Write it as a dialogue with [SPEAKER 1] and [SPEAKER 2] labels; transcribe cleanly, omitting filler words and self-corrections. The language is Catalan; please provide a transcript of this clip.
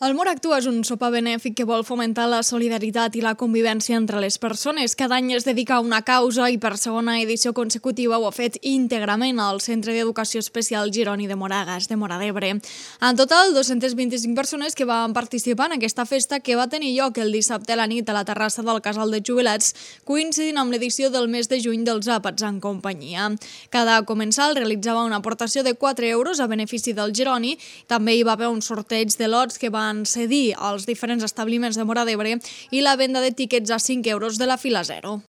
[SPEAKER 1] El Món Actua és un sopar benèfic que vol fomentar la solidaritat i la convivència entre les persones. Cada any es dedica a una causa i per segona edició consecutiva ho ha fet íntegrament al Centre d'Educació Especial Gironi de Moragas, de Móra d'Ebre. En total, 225 persones que van participar en aquesta festa que va tenir lloc el dissabte a la nit a la terrassa del Casal de Jubilats, coincidint amb l'edició del mes de juny dels Àpats en companyia. Cada comensal realitzava una aportació de 4 euros a benefici del Gironi. També hi va haver un sorteig de lots que van cedir als diferents establiments de Móra d'Ebre i la venda de tiquets a 5 euros de la fila 0.